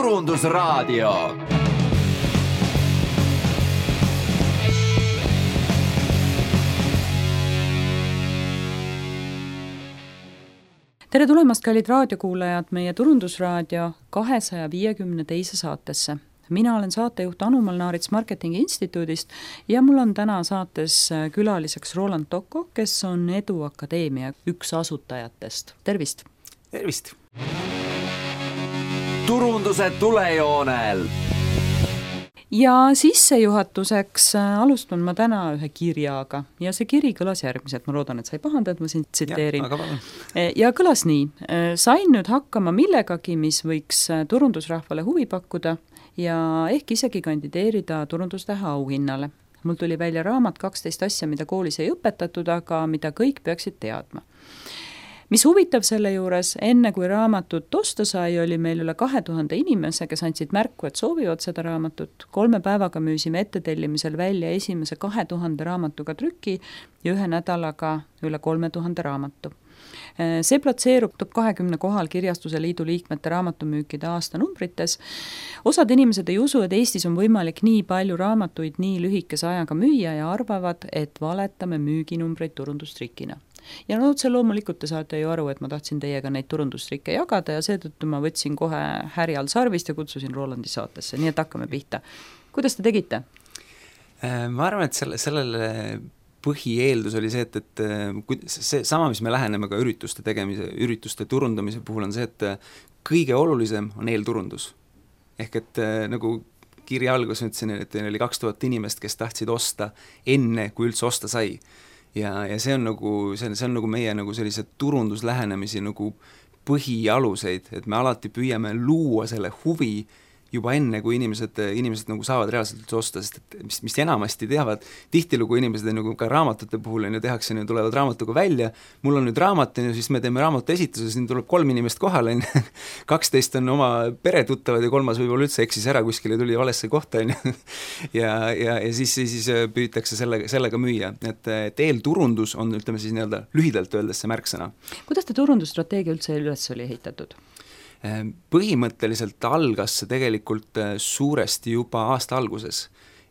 Turundusraadio. Tere tulemast, kallid raadiokuulajad, meie Turundusraadio 252. saatesse. Mina olen saatejuht Anu Molnaarits Marketingi Instituudist ja mul on täna saates külaliseks Roland Tocco, kes on Edu Akadeemia üks asutajatest. Tervist! Tervist! Turunduse tulejoonel! Ja sissejuhatuseks alustan ma täna ühe kirjaga ja see kiri kõlas järgmiselt, ma loodan, et sa ei pahanda, et ma sind tsiteerin. Ja kõlas nii: sain nüüd hakkama millegagi, mis võiks turundusrahvale huvi pakkuda ja ehk isegi kandideerida turundustähe auhinnale. Mul tuli välja raamat 12 asja, mida koolis ei õpetatud, aga mida kõik peaksid teadma. Mis huvitav selle juures, enne kui raamatut osta sai, oli meil üle 2000 inimese, kes andsid märku, et soovivad seda raamatut. 3 päevaga müüsime ettetellimisel välja esimese 2000 raamatuga trüki ja 1 nädalaga üle 3000 raamatu. See platseerub top 20 kohal Kirjastuse Liidu liikmete raamatumüükide aastanumbrites. Osad inimesed ei usu, et Eestis on võimalik nii palju raamatuid nii lühikese ajaga müüa ja arvavad, et valetame müüginumbreid turundustrikina. Ja otse loomulikult te saate ju aru, et ma tahtsin teiega neid turundustrikke jagada ja seetõttu ma võtsin kohe härjal sarvist ja kutsusin Rolandi saatesse, nii et hakkame pihta. Kuidas te tegite? Ma arvan, et sellele põhieeldus oli see, et see sama, mis me läheneme ka ürituste turundamise puhul on see, et kõige olulisem on eelturundus. Ehk et nagu kirja algus ütlesin, et oli 2000 inimest, kes tahtsid osta enne, kui üldse osta sai. Ja see on nagu meie nagu sellise turunduslähenemisi nagu põhialuseid, et me alati püüame luua selle huvi juba enne, kui inimesed nagu saavad reaalselt osta, sest et mis enamasti teavad, tihtilugu inimesed nagu ka raamatute puhul tehakse, tulevad raamatuga välja, mul on nüüd raamat, siis me teeme raamatu esituse, siin tuleb 3 inimest kohale, 12 on oma peretuttavad ja 3 võib-olla üldse eksis ära kuskile, tuli valesse kohta ja siis püütakse sellega müüa, et eelturundus on, ütleme siis nii-öelda lühidalt öeldes see märksõna. Kuidas te turundusstrateegia üldse üles oli ehitatud? Põhimõtteliselt algas see tegelikult suuresti juba aasta alguses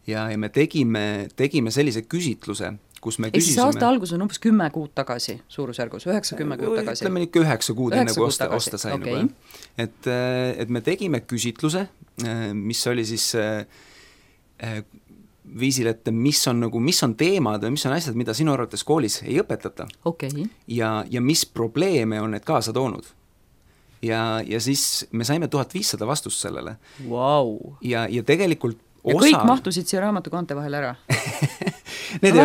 ja me tegime sellise küsitluse, kus me küsisime... Siis aasta algus on umbes 10 kuud tagasi, suurusjärgus, 9-10 kuud tagasi? Ütleme ikka 9 kuud enne, kui osta sai. Okay. Et me tegime küsitluse, mis oli siis viisil, et mis on teemad või mis on asjad, mida sinu arvates koolis ei õpetata. Okay. Ja mis probleeme on need kaasa toonud. Ja siis me saime 1500 vastust sellele. Wow. Ja tegelikult ja kõik mahtusid siia raamatu kaante vahel ära? Need ei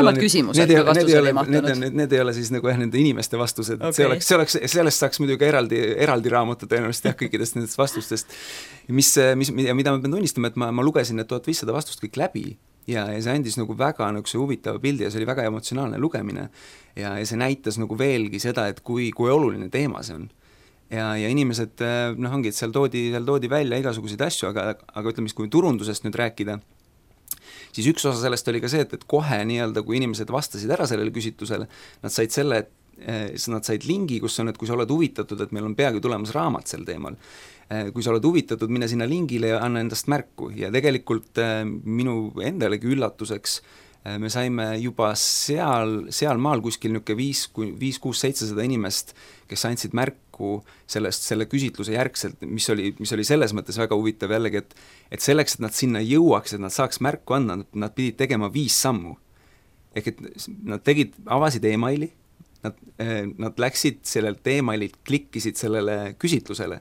ole siis nagu nende inimeste vastused. Okay. Sellest saaks muidugi eraldi raamatu tõenäoliselt kõikidest nendest vastustest. Mida ma pean tunnistama, et ma lugesin need 1500 vastust kõik läbi ja see andis nagu väga nagu see huvitava pildi ja see oli väga emotsionaalne lugemine ja see näitas nagu veelgi seda, et kui oluline teema see on. Ja inimesed, ongi, et seal toodi välja igasuguseid asju, aga ütleme, kui turundusest nüüd rääkida, siis üks osa sellest oli ka see, et kohe nii-öelda, kui inimesed vastasid ära sellele küsitlusele, nad said lingi, kus on, et kui sa oled huvitatud, et meil on peagi tulemas raamat sel teemal, kui sa oled huvitatud, mine sinna lingile ja anna endast märku ja tegelikult minu endalegi üllatuseks me saime juba seal maal kuskil 5-6-700 inimest, kes andsid märku selle küsitluse järgselt, mis oli selles mõttes väga huvitav jällegi, et selleks, et nad sinna jõuaks, et nad saaks märku anda, nad pidid tegema 5 sammu. Ehk et nad avasid emaili, nad läksid sellelt emaililt, klikkisid sellele küsitlusele,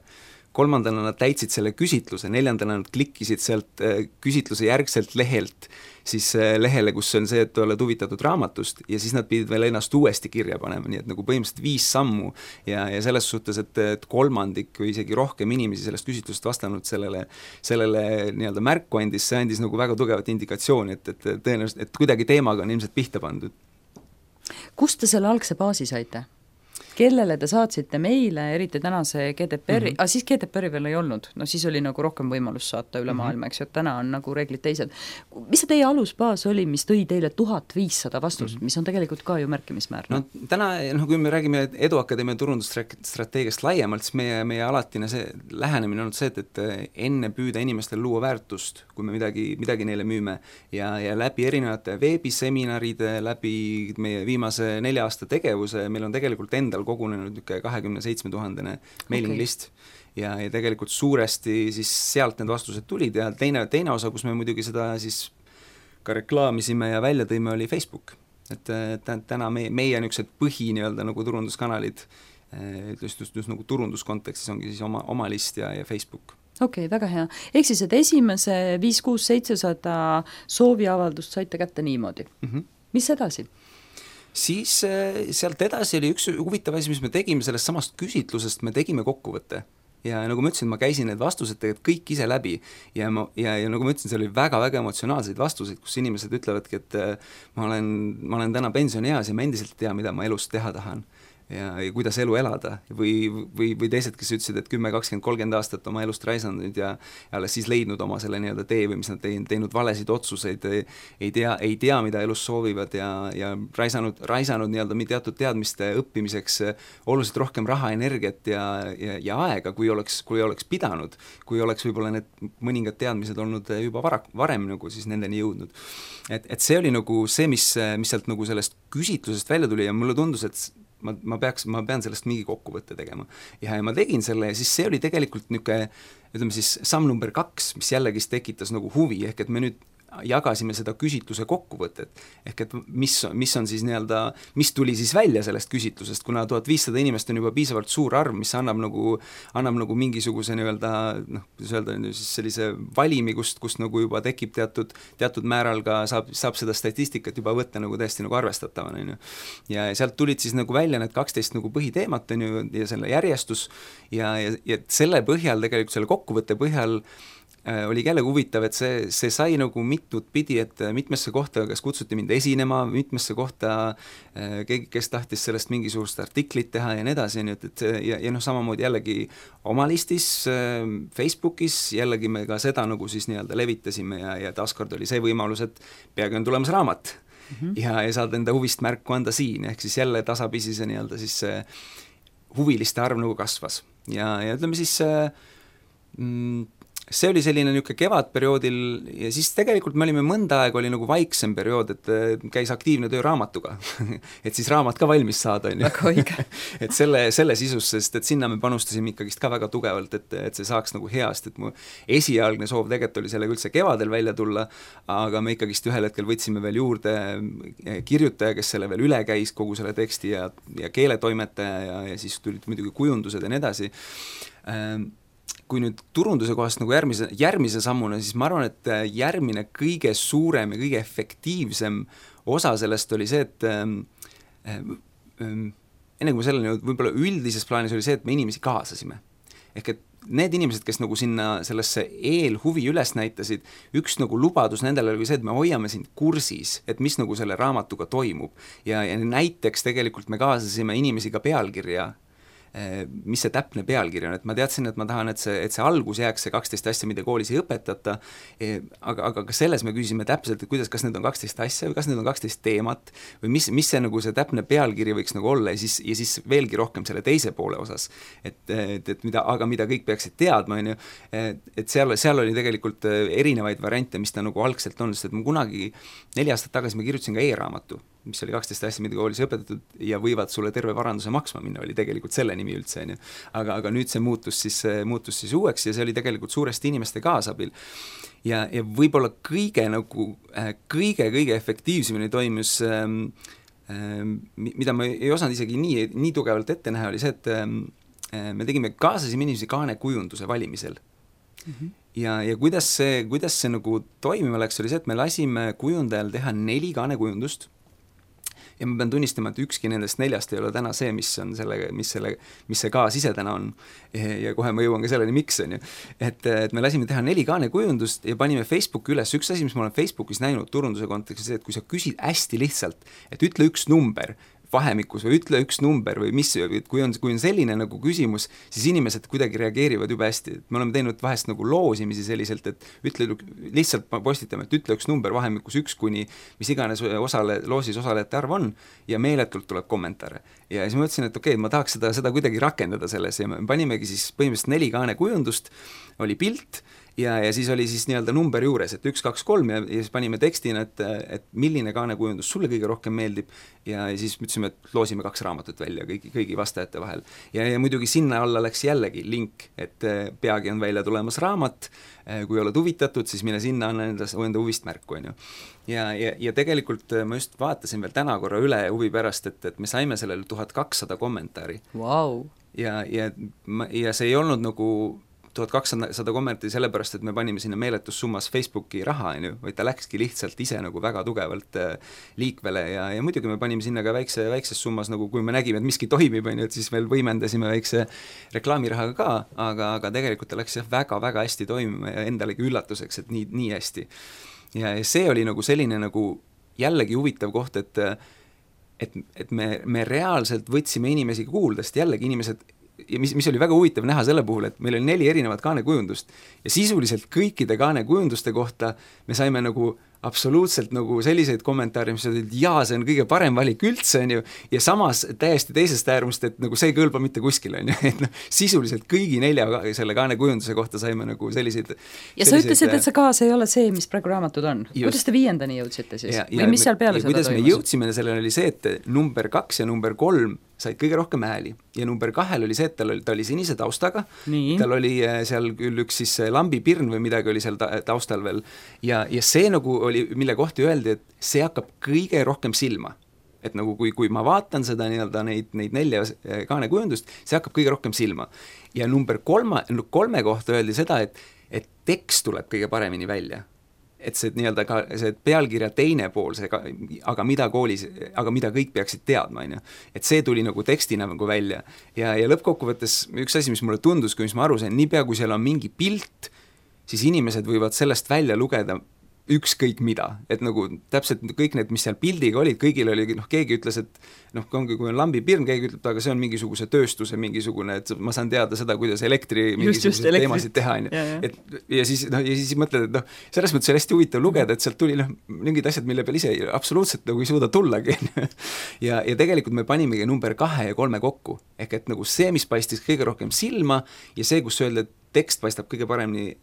3. nad täitsid selle küsitluse, 4. nad klikkisid sealt küsitluse järgselt lehelt siis lehele, kus on see, et oled huvitatud raamatust ja siis nad pidid veel ennast uuesti kirja panema, nii et nagu põhimõtteliselt 5 sammu ja selles suhtes, et 3 või isegi rohkem inimesi sellest küsitlusest vastanud sellele nii-öelda märku andis, see andis nagu väga tugevat indikatsiooni, et tõenäoliselt, et kuidagi teemaga on ilmselt pihta pandud. Kust te selle algse baasi saite? kellele te saatsite meile, eriti tänase GDPR-i, siis GDPR-i veel ei olnud, no siis oli nagu rohkem võimalus saata üle maailma, eks ju, et täna on nagu reeglid teised. Mis see teie alusbaas oli, mis tõi teile 1500 vastust, mis on tegelikult ka ju märkimismäärne? No täna, kui me räägime Eduakadeemia turundusstrateegiast laiemalt, siis meie alatine see lähenemine on see, et enne püüda inimestel luua väärtust, kui me midagi neile müüme ja läbi erinevate veebiseminaride, läbi meie viimase 4 aasta tegevuse, meil on tegelikult endal kogunenud 27 000 mailing list ja tegelikult suuresti siis sealt need vastused tulid ja teine osa, kus me muidugi seda siis ka reklaamisime ja välja tõime, oli Facebook. Et täna meie niisugused põhi nii-öelda nagu turunduskanalid just nagu turunduskontekstis ongi siis oma list ja Facebook. Okei, väga hea. Ehk siis, et esimese 5-6-700 sooviavaldust saite kätte niimoodi. Mis edasi? Siis sealt edasi oli üks huvitav asi, mis me tegime sellest samast küsitlusest, me tegime kokkuvõtte. Ja nagu ma ütlesin, ma käisin need vastused tegelikult kõik ise läbi ja nagu ma ütlesin, seal oli väga-väga emotsionaalseid vastuseid, kus inimesed ütlevadki, et ma olen täna pensionieas ja ma endiselt ei tea, mida ma elust teha tahan ja kuidas elu elada või teised, kes ütlesid, et 10, 20, 30 aastat oma elust raisanud ja alles siis leidnud oma selle nii-öelda tee või mis nad teinud valesid otsuseid, ei tea, mida elus soovivad ja raisanud nii-öelda teatud teadmiste õppimiseks oluliselt rohkem raha, energiat ja aega, kui oleks pidanud, kui oleks võib-olla need mõningad teadmised olnud juba varem nagu siis nendeni jõudnud. Et see oli nagu see, mis sealt nagu sellest küsitlusest välja tuli ja mulle tundus, et ma pean sellest mingi kokkuvõtte tegema. Ja ma tegin selle ja siis see oli tegelikult niisugune, ütleme siis samm number 2, mis jällegi tekitas nagu huvi, ehk et me nüüd jagasime seda küsitluse kokkuvõtet, ehk et mis on siis nii-öelda, mis tuli siis välja sellest küsitlusest, kuna 1500 inimest on juba piisavalt suur arv, mis annab nagu mingisuguse nii-öelda, kuidas öelda, siis sellise valimi, kust nagu juba tekib teatud määral ka saab seda statistikat juba võtta nagu täiesti nagu arvestatavana, on ju. Ja sealt tulid siis nagu välja need 12 nagu põhiteemat, on ju, ja selle järjestus ja selle põhjal, tegelikult selle kokkuvõtte põhjal oli jällegi huvitav, et see sai nagu mitut pidi, et mitmesse kohta, kes kutsuti mind esinema, mitmesse kohta keegi, kes tahtis sellest mingisugust artiklit teha ja nii edasi, ja samamoodi jällegi oma listis Facebookis, jällegi me ka seda nagu siis nii-öelda levitasime ja taaskord oli see võimalus, et peagi on tulemas raamat ja saad enda huvist märku anda siin, ehk siis jälle tasapisi see nii-öelda siis huviliste arv nagu kasvas ja ütleme siis see oli selline niisugune kevadperioodil ja siis tegelikult me olime mõnda aega oli nagu vaiksem periood, et käis aktiivne töö raamatuga et siis raamat ka valmis saada, on ju. Et selle sisus, sest et sinna me panustasime ikkagist ka väga tugevalt, et see saaks nagu heast, et mu esialgne soov tegelikult oli sellega üldse kevadel välja tulla, aga me ikkagist ühel hetkel võtsime veel juurde kirjutaja, kes selle veel üle käis, kogu selle teksti ja keeletoimetaja ja siis tulid muidugi kujundused ja nii edasi. Kui nüüd turunduse kohast nagu järgmise sammuna, siis ma arvan, et järgmine kõige suurem ja kõige efektiivsem osa sellest oli see, et enne kui me selleni võib-olla üldises plaanis oli see, et me inimesi kaasasime. Ehk et need inimesed, kes nagu sinna sellesse eelhuvi üles näitasid, üks nagu lubadus nendele oli see, et me hoiame sind kursis, et mis nagu selle raamatuga toimub. Ja näiteks tegelikult me kaasasime inimesi ka pealkirja, mis see täpne pealkiri on, et ma teadsin, et ma tahan, et see algus jääks see 12 asja, mida koolis ei õpetata, aga ka selles me küsisime täpselt, et kuidas, kas need on 12 asja või kas need on 12 teemat või mis see nagu see täpne pealkiri võiks nagu olla ja siis veelgi rohkem selle teise poole osas, et mida kõik peaksid teadma, on ju, et seal oli tegelikult erinevaid variante, mis ta nagu algselt on, sest et ma kunagi 4 aastat tagasi ma kirjutasin ka e-raamatu, mis oli 12 asja, mida koolis õpetatud ja võivad sulle terve varanduse maksma minna, oli tegelikult selle nimi üldse, on ju. Aga nüüd see muutus siis uueks ja see oli tegelikult suuresti inimeste kaasabil. Ja võib-olla kõige efektiivsemini toimus, mida ma ei osanud isegi nii tugevalt ette näha, oli see, et me kaasasime inimesi kaanekujunduse valimisel. Ja kuidas see nagu toimima läks, oli see, et me lasime kujundajal teha 4 kaanekujundust ja ma pean tunnistama, et ükski nendest 4 ei ole täna see, mis see kaas ise täna on. Ja kohe ma jõuan ka selleni, miks on ju. Et me lasime teha 4 kaanekujundust ja panime Facebooki üles. Üks asi, mis ma olen Facebookis näinud turunduse kontekstis, et kui sa küsid hästi lihtsalt, et ütle üks number, vahemikus või ütle üks number või mis, kui on selline nagu küsimus, siis inimesed kuidagi reageerivad jube hästi. Me oleme teinud vahest nagu loosimisi selliselt, et ütle, lihtsalt postitame, et ütle üks number vahemikus 1 kuni mis iganes loosis osalejate arv on ja meeletult tuleb kommentaare. Ja siis ma mõtlesin, et okei, ma tahaks seda kuidagi rakendada selles ja me panimegi siis põhimõtteliselt 4 kaanekujundust, oli pilt ja siis oli siis nii-öelda number juures, et 1, 2, 3 ja siis panime tekstina, et milline kaanekujundus sulle kõige rohkem meeldib ja siis ütlesime, et loosime 2 raamatut välja kõigi vastajate vahel. Ja muidugi sinna alla läks jällegi link, et peagi on välja tulemas raamat, kui oled huvitatud, siis mine sinna, anna enda huvist märku, on ju. Ja tegelikult ma just vaatasin veel täna korra üle huvi pärast, et me saime sellele 1200 kommentaari. Wow. Ja see ei olnud nagu 1200 kommentaari sellepärast, et me panime sinna meeletus summas Facebooki raha, vaid ta läkski lihtsalt ise nagu väga tugevalt liikvele ja muidugi me panime sinna ka väikses summas, nagu kui me nägime, et miski toimib, et siis veel võimendasime väikse reklaamirahaga ka, aga tegelikult ta läks väga-väga hästi toimima ja endalegi üllatuseks, et nii hästi. Ja see oli nagu selline nagu jällegi huvitav koht, et me reaalselt võtsime inimesi kuulda, sest jällegi inimesed ja mis oli väga huvitav näha selle puhul, et meil oli 4 erinevat kaanekujundust ja sisuliselt kõikide kaanekujunduste kohta me saime nagu absoluutselt nagu selliseid kommentaare, mis olid, jaa, see on kõige parem valik üldse, on ju, ja samas täiesti teisest äärmust, et nagu see ei kõlba mitte kuskile, on ju, et sisuliselt kõigi 4 selle kaanekujunduse kohta saime nagu selliseid ja sa ütlesid, et see kaas ei ole see, mis praegu raamatud on. Kuidas te 5. jõudsite siis? Või mis seal peale seda kuidas toimus? Me jõudsime sellele oli see, et number 2 ja number 3 said kõige rohkem hääli ja number 2 oli see, et ta oli sinise taustaga, tal oli seal küll üks siis lambipirn või midagi oli seal taustal veel ja see nagu oli, mille kohta öeldi, et see hakkab kõige rohkem silma. Et nagu kui ma vaatan seda nii-öelda neid 4 kaanekujundust, see hakkab kõige rohkem silma. Ja number 3 kohta öeldi seda, et tekst tuleb kõige paremini välja. Et see nii-öelda ka see pealkirja teine pool, aga mida kõik peaksid teadma, on ju. Et see tuli nagu tekstina nagu välja. Ja lõppkokkuvõttes üks asi, mis mulle tundus, kui mis ma aru sain, niipea kui seal on mingi pilt, siis inimesed võivad sellest välja lugeda ükskõik mida, et nagu täpselt kõik need, mis seal pildiga olid, kõigil oli, keegi ütles, et kui on lambipirn, keegi ütleb, aga see on mingisuguse tööstuse mingisugune, et ma saan teada seda, kuidas mingisuguseid teemasid teha, on ju. Ja siis mõtled, et selles mõttes oli hästi huvitav lugeda, et sealt tuli mingid asjad, mille peal ise absoluutselt nagu ei suuda tullagi. Ja tegelikult me panimegi number 2 ja 3 kokku, ehk et nagu see, mis paistis kõige rohkem silma ja see, kus öelda, et tekst paistab kõige paremini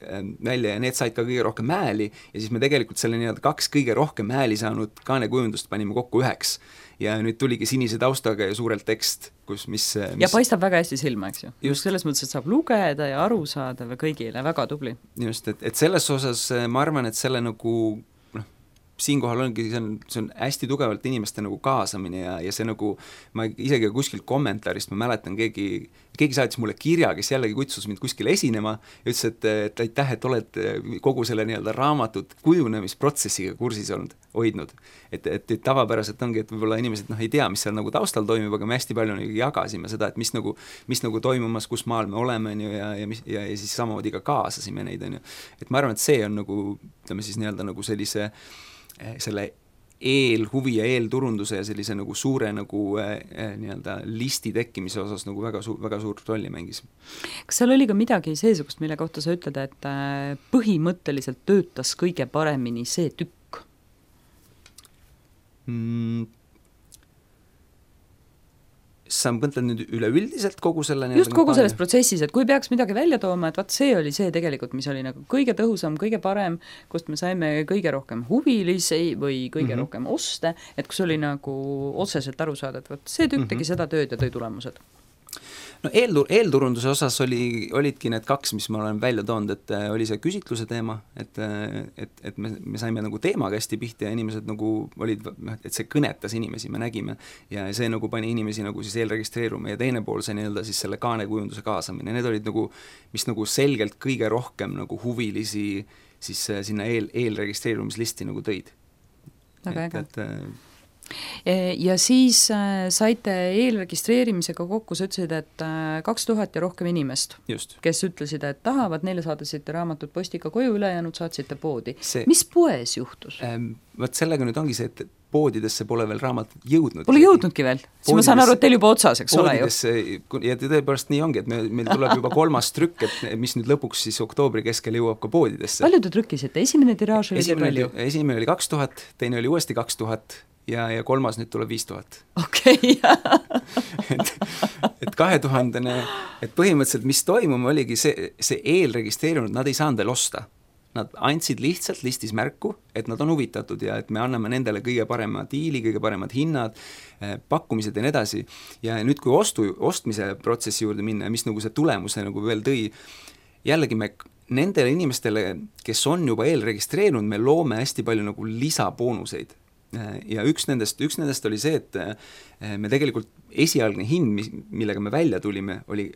välja ja need said ka kõige rohkem hääli ja siis me tegelikult selle nii-öelda 2 kõige rohkem hääli saanud kaanekujundust panime kokku 1 ja nüüd tuligi sinise taustaga ja suurelt tekst, mis ja paistab väga hästi silma, eks ju. Just selles mõttes, et saab lugeda ja aru saada kõigile, väga tubli. Just, et selles osas ma arvan, et selle nagu siinkohal ongi, see on hästi tugevalt inimeste nagu kaasamine ja see nagu, ma isegi kuskil kommentaarist, ma mäletan, keegi saatis mulle kirja, kes jällegi kutsus mind kuskile esinema ja ütles, et aitäh, et oled kogu selle nii-öelda raamatut kujunemisprotsessiga kursis hoidnud. Et tavapäraselt ongi, et võib-olla inimesed ei tea, mis seal nagu taustal toimib, aga me hästi palju jagasime seda, et mis nagu toimumas, kus maal me oleme ja siis samamoodi ka kaasasime neid, on ju. Et ma arvan, et see on nagu, ütleme siis nii-öelda nagu selle eelhuvi ja eelturunduse ja sellise nagu suure nagu nii-öelda listi tekkimise osas nagu väga suurt rolli mängis. Kas seal oli ka midagi seesugust, mille kohta sa ütled, et põhimõtteliselt töötas kõige paremini see tükk? Sa mõtled nüüd üleüldiselt kogu selle just kogu selles protsessis, et kui peaks midagi välja tooma, et see oli see tegelikult, mis oli nagu kõige tõhusam, kõige parem, kust me saime kõige rohkem huvilisi või kõige rohkem oste, et kus oli nagu otseselt aru saada, et see tükk tegi seda tööd ja tõi tulemused. No eelturunduse osas olidki need 2, mis ma olen välja toonud, et oli see küsitluse teema, et me saime nagu teemaga hästi pihti ja inimesed nagu olid, et see kõnetas inimesi, me nägime ja see nagu pani inimesi nagu siis eelregistreeruma ja teine pool see nii-öelda siis selle kaanekujunduse kaasamine, need olid nagu, mis nagu selgelt kõige rohkem nagu huvilisi siis sinna eelregistreerumislisti nagu tõid. Väga äge. Ja siis saite eelregistreerimisega kokku, sa ütlesid, et 2000 ja rohkem inimest, just, kes ütlesid, et tahavad, neile saadasite raamatut postiga koju, ülejäänud saatsite poodi. Mis poes juhtus? Võt sellega nüüd ongi see, et poodidesse pole veel raamatut jõudnud. Pole jõudnudki veel? Siis ma saan aru, et teil juba otsas, eks ole ju? Ja tõepoolest nii ongi, et meil tuleb juba 3. trükk, et mis nüüd lõpuks siis oktoobri keskel jõuab ka poodidesse. Palju te trükkisite? Esimene tiraaž oli palju? Esimene oli 2000, teine oli uuesti 2000 ja 3. nüüd tuleb 5000. Okei. et 2000, et põhimõtteliselt mis toimuma oligi see eelregistreerunud, nad ei saanud veel osta. Nad andsid lihtsalt listis märku, et nad on huvitatud ja et me anname nendele kõige parema diili, kõige paremad hinnad, pakkumised ja nii edasi. Ja nüüd, kui ostmise protsessi juurde minna, mis nagu see tulemuse nagu veel tõi, jällegi me nendele inimestele, kes on juba eelregistreerunud, me loome hästi palju nagu lisaboonuseid. Ja üks nendest oli see, et me tegelikult esialgne hind, millega me välja tulime, oli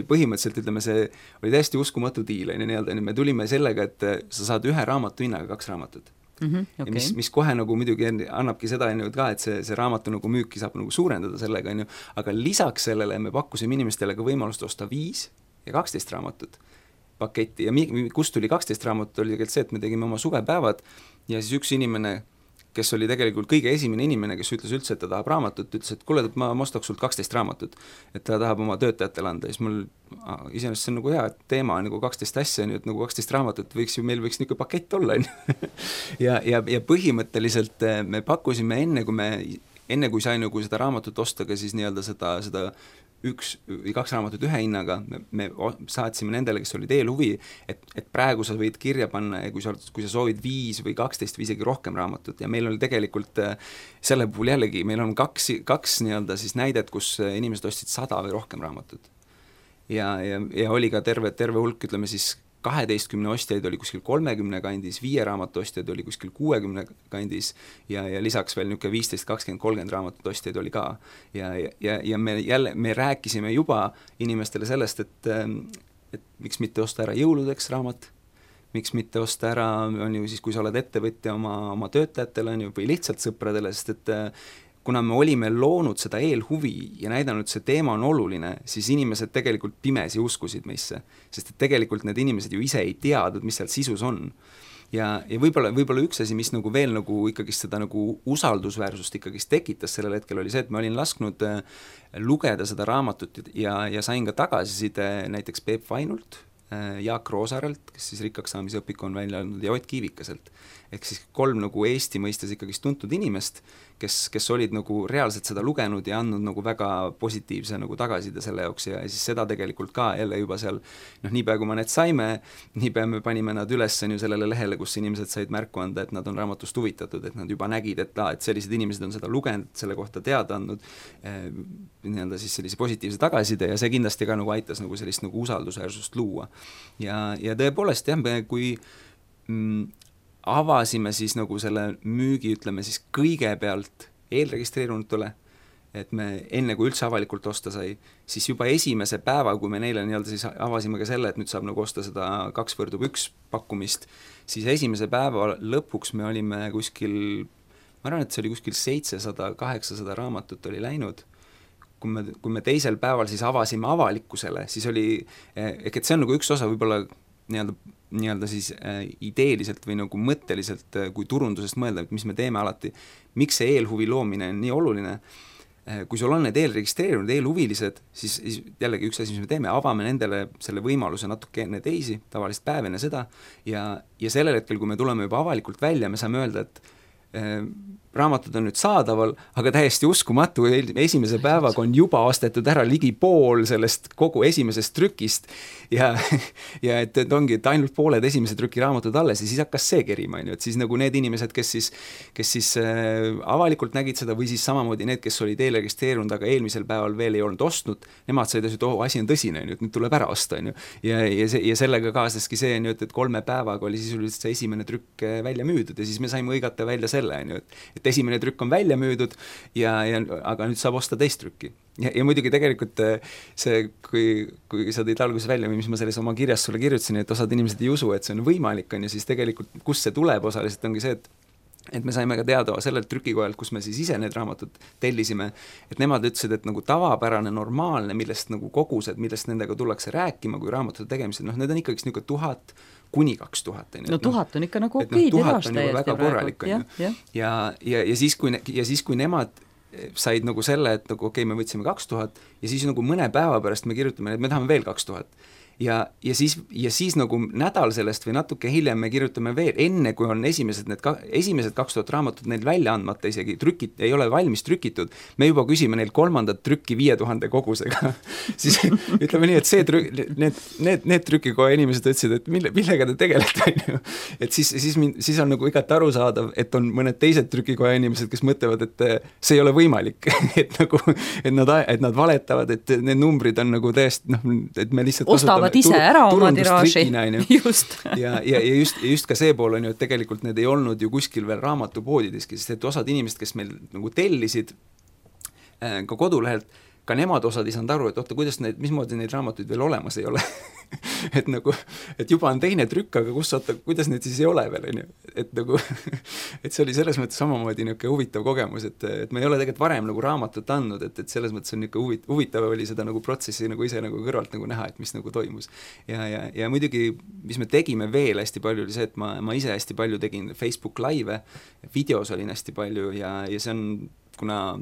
põhimõtteliselt, ütleme, see oli täiesti uskumatu diil, me tulime sellega, et sa saad ühe raamatu hinnaga 2 raamatut. Okay. Ja mis kohe nagu muidugi annabki seda ka, et see raamatu nagu müüki saab nagu suurendada sellega, aga lisaks sellele me pakkusime inimestele ka võimalust osta 5 ja 12 raamatut paketti ja kust tuli 12 raamatut, oli tegelikult see, et me tegime oma suvepäevad ja siis üks inimene, kes oli tegelikult kõige esimene inimene, kes ütles üldse, et ta tahab raamatut, ütles, et kuule, et ma ostaks sult 12 raamatut, et ta tahab oma töötajatele anda, ja siis mul iseenesest see on nagu hea teema, nagu 12 asja, et nagu 12 raamatut meil võiks niisugune pakett olla. ja põhimõtteliselt me pakkusime enne kui sai nagu seda raamatut osta, ka siis nii-öelda seda 1 või 2 raamatut ühe hinnaga, me saatsime nendele, kes olid eelhuvi, et praegu sa võid kirja panna, kui sa soovid 5 või 12 või isegi rohkem raamatut ja meil oli tegelikult selle puhul jällegi, meil on kaks nii-öelda siis näidet, kus inimesed ostsid 100 või rohkem raamatut. Ja oli ka terve hulk, ütleme siis 12 ostjaid oli kuskil 30 kandis, 5 raamatu ostjaid oli kuskil 60 kandis ja lisaks veel niisugune 15, 20, 30 raamatut ostjaid oli ka. Ja me rääkisime juba inimestele sellest, et miks mitte osta ära jõuludeks raamat, miks mitte osta ära, on ju siis, kui sa oled ettevõtja oma töötajatele on ju, või lihtsalt sõpradele, sest et kuna me olime loonud seda eelhuvi ja näidanud, see teema on oluline, siis inimesed tegelikult pimesi uskusid meisse, sest et tegelikult need inimesed ju ise ei teadnud, mis seal sisus on. Ja võib-olla üks asi, mis nagu veel nagu ikkagist seda nagu usaldusväärsust ikkagist tekitas sellel hetkel oli see, et ma olin lasknud lugeda seda raamatut ja sain ka tagasiside näiteks Peep Vainult, Jaak Roosaarelt, kes siis rikkaks saamise õpiku on välja andnud, ja Ott Kiivikaselt. Ehk siis 3 nagu Eesti mõistes ikkagist tuntud inimest, kes olid nagu reaalselt seda lugenud ja andnud nagu väga positiivse nagu tagasiside selle jaoks ja siis seda tegelikult ka jälle juba seal, niipea kui me need saime, niipea me panime nad üles sellele lehele, kus inimesed said märku anda, et nad on raamatust huvitatud, et nad juba nägid, et sellised inimesed on seda lugenud, selle kohta teada andnud, nii-öelda siis sellise positiivse tagasiside ja see kindlasti ka nagu aitas nagu sellist nagu usaldusväärsust luua. Ja tõepoolest jah, kui avasime siis nagu selle müügi, ütleme siis kõigepealt eelregistreerunutele, et me enne kui üldse avalikult osta sai, siis juba esimese päeva, kui me neile nii-öelda siis avasime ka selle, et nüüd saab nagu osta seda 2x1 pakkumist, siis esimese päeva lõpuks me olime kuskil, ma arvan, et see oli kuskil 700-800 raamatut oli läinud, kui me teisel päeval siis avasime avalikkusele, siis oli, et see on nagu üks osa võib-olla nii-öelda siis ideeliselt või nagu mõtteliselt, kui turundusest mõelda, et mis me teeme alati, miks see eelhuvi loomine on nii oluline, kui sul on need eelregistreerunud eelhuvilised, siis jällegi üks asi, mis me teeme, avame nendele selle võimaluse natuke enne teisi, tavalist päev enne seda ja sellel hetkel, kui me tuleme juba avalikult välja, me saame öelda, et raamatud on nüüd saadaval, aga täiesti uskumatu, esimese päevaga on juba ostetud ära ligi pool sellest kogu esimesest trükist ja et ongi, et ainult pooled esimese trüki raamatud alles ja siis hakkas see kerima, et siis nagu need inimesed, kes siis avalikult nägid seda või siis samamoodi need, kes olid eelregistreerunud, aga eelmisel päeval veel ei olnud ostnud, nemad said asjad, asi on tõsine, et nüüd tuleb ära osta, ja sellega kaasneski see, et 3 päevaga oli sisuliselt see esimene trükk välja müüdud ja siis me saime õigata välja selle, et esimene trükk on välja müüdud aga nüüd saab osta teist trükki. Ja muidugi tegelikult see, kui sa tõid alguses välja, mis ma selles oma kirjas sulle kirjutasin, et osad inimesed ei usu, et see on võimalik, ja siis tegelikult, kus see tuleb osaliselt, ongi see, et et me saime ka teada sellelt trükikojalt, kus me siis ise need raamatud tellisime, et nemad ütlesid, et nagu tavapärane, normaalne, millest nagu kogused, millest nendega tullakse rääkima, kui raamatute tegemised, noh, need on ikkagi niisugune 1000 kuni 2000. No 1000 on ikka nagu okei tiraaž täiesti väga korralik, on ju. Ja siis, kui nemad said nagu selle, et nagu okei, me võtsime 2000 ja siis nagu mõne päeva pärast me kirjutame, et me tahame veel 2000. Ja siis nagu nädal sellest või natuke hiljem me kirjutame veel, enne kui on esimesed 2000 raamatut neil välja andmata isegi, ei ole valmis trükitud, me juba küsime neil 3. trükki 5000 kogusega. Siis ütleme nii, et need trükikoja inimesed ütlesid, et millega te tegelete, et siis on nagu igati arusaadav, et on mõned teised trükikoja inimesed, kes mõtlevad, et see ei ole võimalik, et nad valetavad, et need numbrid on nagu täiesti, et me lihtsalt ostavad ise ära oma tiraaži. Just. ja just ka see pool on ju, et tegelikult need ei olnud ju kuskil veel raamatupoodideski, sest et osad inimesed, kes meil nagu tellisid ka kodulehelt, ka nemad osad ei saanud aru, et oota, mismoodi neid raamatuid veel olemas ei ole. et juba on teine trükk, aga kuidas need siis ei ole veel, on ju. Et nagu, et see oli selles mõttes samamoodi niisugune huvitav kogemus, et me ei ole tegelikult varem nagu raamatut andnud, et selles mõttes on niisugune huvitav oli seda nagu protsessi nagu ise nagu kõrvalt nagu näha, et mis nagu toimus. Ja muidugi, mis me tegime veel hästi palju, oli see, et ma ise hästi palju tegin Facebook live, videos olin hästi palju ja see on, kuna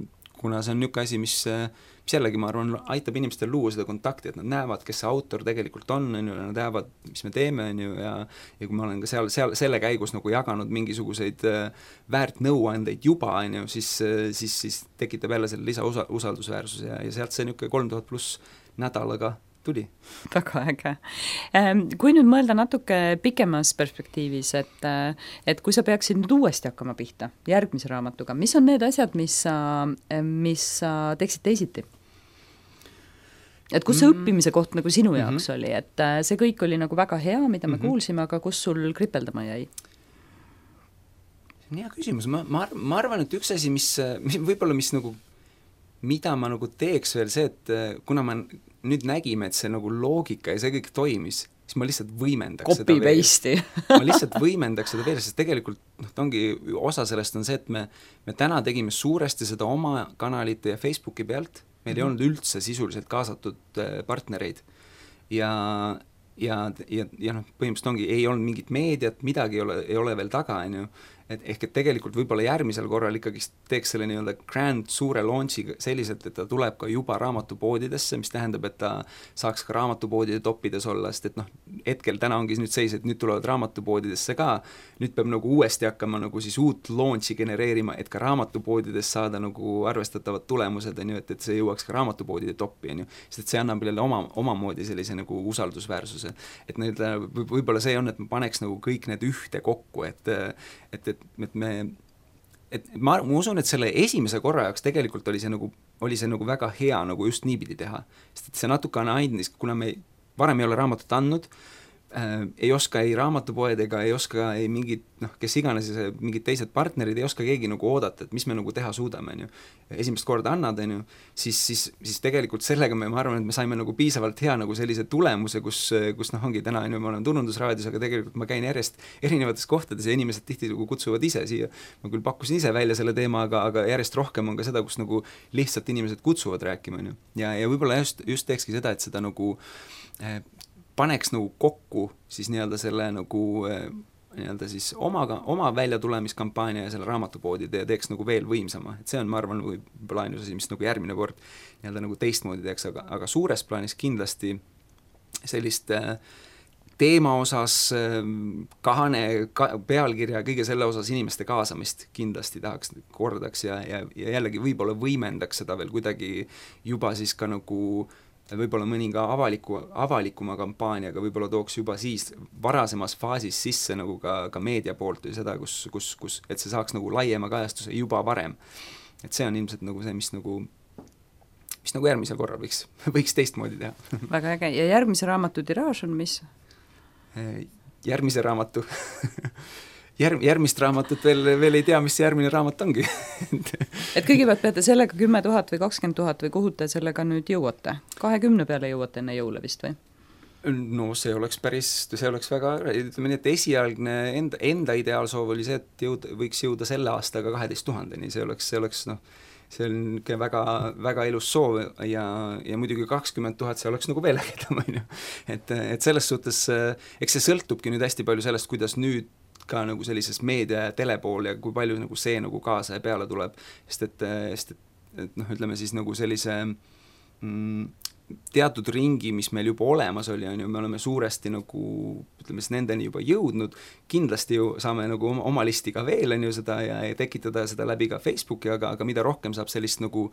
see on niisugune asi, mis jällegi, ma arvan, aitab inimestel luua seda kontakti, et nad näevad, kes see autor tegelikult on, nad näevad, mis me teeme, ja kui ma olen ka seal selle käigus nagu jaganud mingisuguseid väärt nõuandeid juba, siis tekitab jälle selle lisausaldusväärsus ja sealt see niisugune 3000 pluss nädalaga tuli. Väga äge. Kui nüüd mõelda natuke pikemas perspektiivis, et kui sa peaksid nüüd uuesti hakkama pihta järgmise raamatuga, mis on need asjad, mis sa teeksid teisiti? Et kus see õppimise koht nagu sinu jaoks oli, et see kõik oli nagu väga hea, mida me kuulsime, aga kus sul kripeldama jäi? See on hea küsimus. Ma arvan, et üks asi, mis võib-olla mida ma nagu teeks veel see, et kuna ma nüüd nägime, et see nagu loogika ja see kõik toimis, siis ma lihtsalt võimendaks seda veel. Ma lihtsalt võimendaks seda veel, sest tegelikult osa sellest on see, et me täna tegime suuresti seda oma kanalite ja Facebooki pealt, meil ei olnud üldse sisuliselt kaasatud partnereid ja põhimõtteliselt ei olnud mingit meediat, midagi ei ole veel taga, ehk et tegelikult võib-olla järgmisel korral ikkagi teeks selle nii-öelda grand suure launchi selliselt, et ta tuleb ka juba raamatupoodidesse, mis tähendab, et ta saaks ka raamatupoodide toppides olla, sest et hetkel täna ongi nüüd seis, et nüüd tulevad raamatupoodidesse ka, nüüd peab nagu uuesti hakkama nagu siis uut launchi genereerima, et ka raamatupoodides saada nagu arvestatavad tulemused, et see jõuaks ka raamatupoodide toppi, sest et see annab jälle omamoodi sellise nagu usaldusväärsuse. Et võib-olla see on, et ma paneks nagu kõik need ühte kokku, et ma usun, et selle esimese korra jaoks tegelikult oli see nagu väga hea nagu just niipidi teha, sest et see natukene andis, kuna me varem ei ole raamatut andnud, ei oska ei raamatupoed ega ei oska ei mingid, kes iganes mingid teised partnerid, ei oska keegi nagu oodata, et mis me nagu teha suudame, esimest korda annad, siis tegelikult sellega ma arvan, et me saime nagu piisavalt hea nagu sellise tulemuse, kus ongi täna, ma olen Turundusraadios, aga tegelikult ma käin järjest erinevates kohtades ja inimesed tihti nagu kutsuvad ise siia, ma küll pakkusin ise välja selle teema, aga järjest rohkem on ka seda, kus nagu lihtsalt inimesed kutsuvad rääkima, ja võib-olla just teekski seda, et seda nagu paneks nagu kokku siis nii-öelda selle nagu nii-öelda siis oma väljatulemiskampaania ja selle raamatupoodide ja teeks nagu veel võimsama, et see on, ma arvan, võib-olla ainus asi, mis nagu järgmine kord nii-öelda nagu teistmoodi teeks, aga suures plaanis kindlasti sellist teema osas, pealkirja, kõige selle osas inimeste kaasamist kindlasti kordaks ja jällegi võib-olla võimendaks seda veel kuidagi juba siis ka nagu võib-olla mõni ka avalikuma kampaaniaga võib-olla tooks juba siis varasemas faasis sisse nagu ka meedia poolt või seda, kus et see saaks nagu laiema kajastuse juba varem. Et see on ilmselt nagu see, mis nagu järgmisel korral võiks teistmoodi teha. Väga äge. Ja järgmise raamatu tiraaž on mis? Järgmise raamatu järgmist raamatut veel ei tea, mis see järgmine raamat ongi. Et kõigepealt peate sellega 10 000 või 20 000 või kuhu te sellega nüüd jõuate? 20 peale jõuate enne jõule vist või? No see oleks väga, ütleme nii, et esialgne enda ideaalsoov oli see, et võiks jõuda selle aastaga 12 000-ni, see oleks see on väga, väga ilus soov ja muidugi 20 000 see oleks nagu veel ägedam, on ju. Et selles suhtes, eks see sõltubki nüüd hästi palju sellest, kuidas nüüd ka nagu sellises meedia ja telepool ja kui palju nagu see nagu kaasa ja peale tuleb, sest et ütleme siis nagu sellise teatud ringi, mis meil juba olemas oli, on ju, me oleme suuresti nagu, ütleme siis nendeni juba jõudnud, kindlasti ju saame nagu oma listi ka veel, on ju, seda ja tekitada seda läbi ka Facebooki, aga mida rohkem saab sellist nagu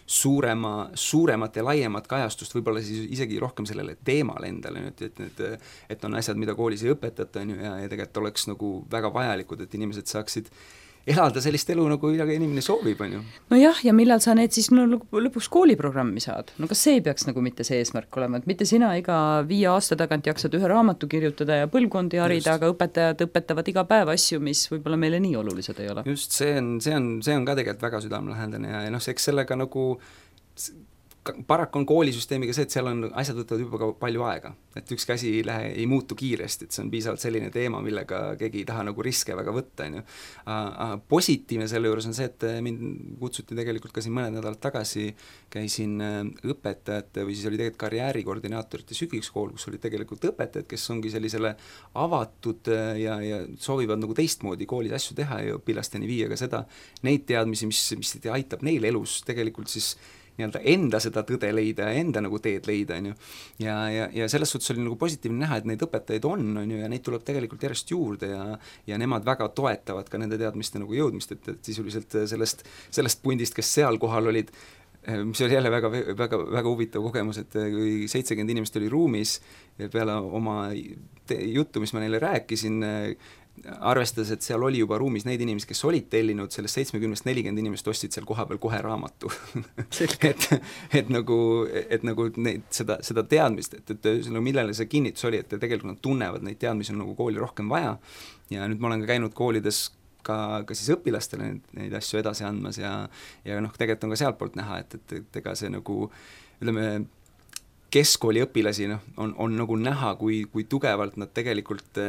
suuremat ja laiemat kajastust, võib-olla siis isegi rohkem sellele teemale endale, et on asjad, mida koolis ei õpetata, on ju, ja tegelikult oleks nagu väga vajalikud, et inimesed saaksid elada sellist elu, nagu inimene soovib, on ju. No jah, ja millal sa need siis lõpuks kooliprogrammi saad? No kas see ei peaks nagu mitte see eesmärk olema, et mitte sina iga 5 aasta tagant jaksad ühe raamatu kirjutada ja põlvkondi harida, aga õpetajad õpetavad iga päev asju, mis võib-olla meile nii olulised ei ole. Just, see on ka tegelikult väga südamelähedane ja eks sellega nagu paraku on koolisüsteemiga see, et seal on asjad võtavad juba ka palju aega, et ükski asi ei muutu kiiresti, et see on piisavalt selline teema, millega keegi ei taha nagu riske väga võtta, on ju. Positiivne selle juures on see, et mind kutsuti tegelikult ka siin mõned nädalad tagasi, käisin õpetajate või siis oli tegelikult karjäärikoordinaatorite sügiskool, kus olid tegelikult õpetajad, kes ongi sellisele avatud ja soovivad nagu teistmoodi koolis asju teha ja õpilasteni viia ka seda, neid teadmisi, mis aitab neil elus tegelikult siis nii-öelda enda seda tõde leida ja enda nagu teed leida, on ju. Ja selles suhtes oli nagu positiivne näha, et neid õpetajaid on ju, ja neid tuleb tegelikult järjest juurde ja nemad väga toetavad ka nende teadmiste nagu jõudmist, et sisuliselt sellest pundist, kes seal kohal olid, mis oli jälle väga, väga, väga huvitav kogemus, et kui 70 inimest oli ruumis ja peale oma juttu, mis ma neile rääkisin, arvestades, et seal oli juba ruumis neid inimesi, kes olid tellinud, sellest 70-40 inimest ostsid seal koha peal kohe raamatu. et nagu neid, seda teadmist, et millele see kinnitus oli, et tegelikult nad tunnevad, neid teadmisi on nagu kooli rohkem vaja ja nüüd ma olen ka käinud koolides ka siis õpilastele neid asju edasi andmas ja tegelikult on ka sealt poolt näha, et ega see nagu, ütleme, keskkooli õpilasi on nagu näha, kui tugevalt nad tegelikult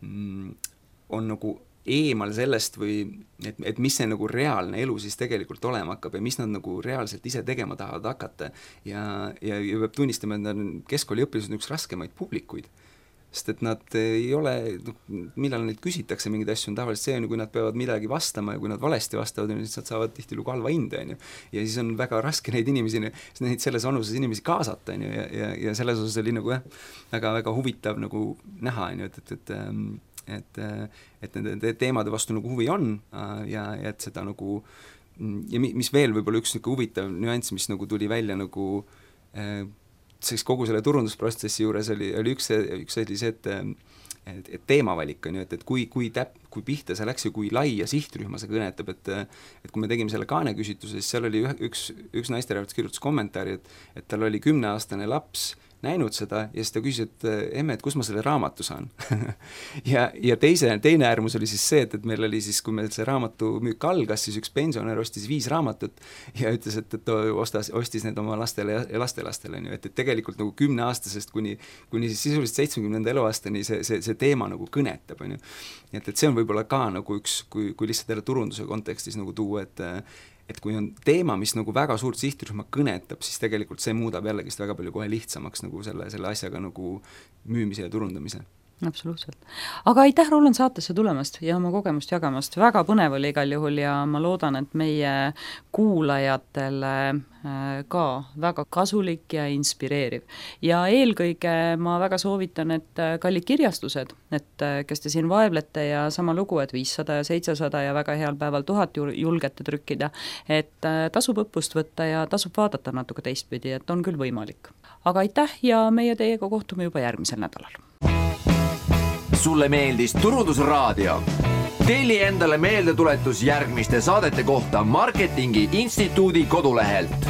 on nagu eemal sellest või et mis see nagu reaalne elu siis tegelikult olema hakkab ja mis nad nagu reaalselt ise tegema tahavad hakata ja peab tunnistama, et nad on keskkooliõpilased üks raskemaid publikuid, sest et nad ei ole, millal neid küsitakse mingeid asju, on tavaliselt see, kui nad peavad midagi vastama ja kui nad valesti vastavad, siis nad saavad tihtilugu halva hinde, on ju. Ja siis on väga raske neid inimesi, neid selles vanuses inimesi kaasata, on ju, ja selles osas oli nagu väga, väga huvitav nagu näha, on ju, et nende teemade vastu nagu huvi on ja et seda nagu ja mis veel võib-olla üks nagu huvitav nüanss, mis nagu tuli välja nagu siis kogu selle turundusprotsessi juures oli üks oli see, et teemavalik on ju, et kui pihta see läks ja kui laia sihtrühma see kõnetab, et kui me tegime selle Kaane küsitluse, siis seal oli üks naisterahvas kirjutas kommentaari, et tal oli 10-aastane laps näinud seda ja siis ta küsis, et emme, et kus ma selle raamatu saan ja teine äärmus oli siis see, et meil oli siis, kui meil see raamatu müük algas, siis üks pensionär ostis 5 raamatut ja ütles, et ta ostis need oma lastele ja lastelastele, et tegelikult nagu 10-aastasest kuni siis sisuliselt 70. eluaastani see teema nagu kõnetab, on ju. Et see on võib-olla ka nagu üks, kui lihtsalt jälle turunduse kontekstis nagu tuua, et kui on teema, mis nagu väga suurt sihtrühma kõnetab, siis tegelikult see muudab jällegist väga palju kohe lihtsamaks nagu selle asjaga nagu müümise ja turundamise. Absoluutselt. Aga aitäh, Roland, saatesse tulemast ja oma kogemust jagamast. Väga põnev oli igal juhul ja ma loodan, et meie kuulajatele ka väga kasulik ja inspireeriv. Ja eelkõige ma väga soovitan, et kallid kirjastused, et kes te siin vaevlete ja sama lugu, et 500 ja 700 ja väga heal päeval 1000 julgete trükkida, et tasub õppust võtta ja tasub vaadata natuke teistpidi, et on küll võimalik. Aga aitäh ja meie teiega kohtume juba järgmisel nädalal. Sulle meeldis Turundusraadio? Telli endale meeldetuletus järgmiste saadete kohta Marketingi Instituudi kodulehelt.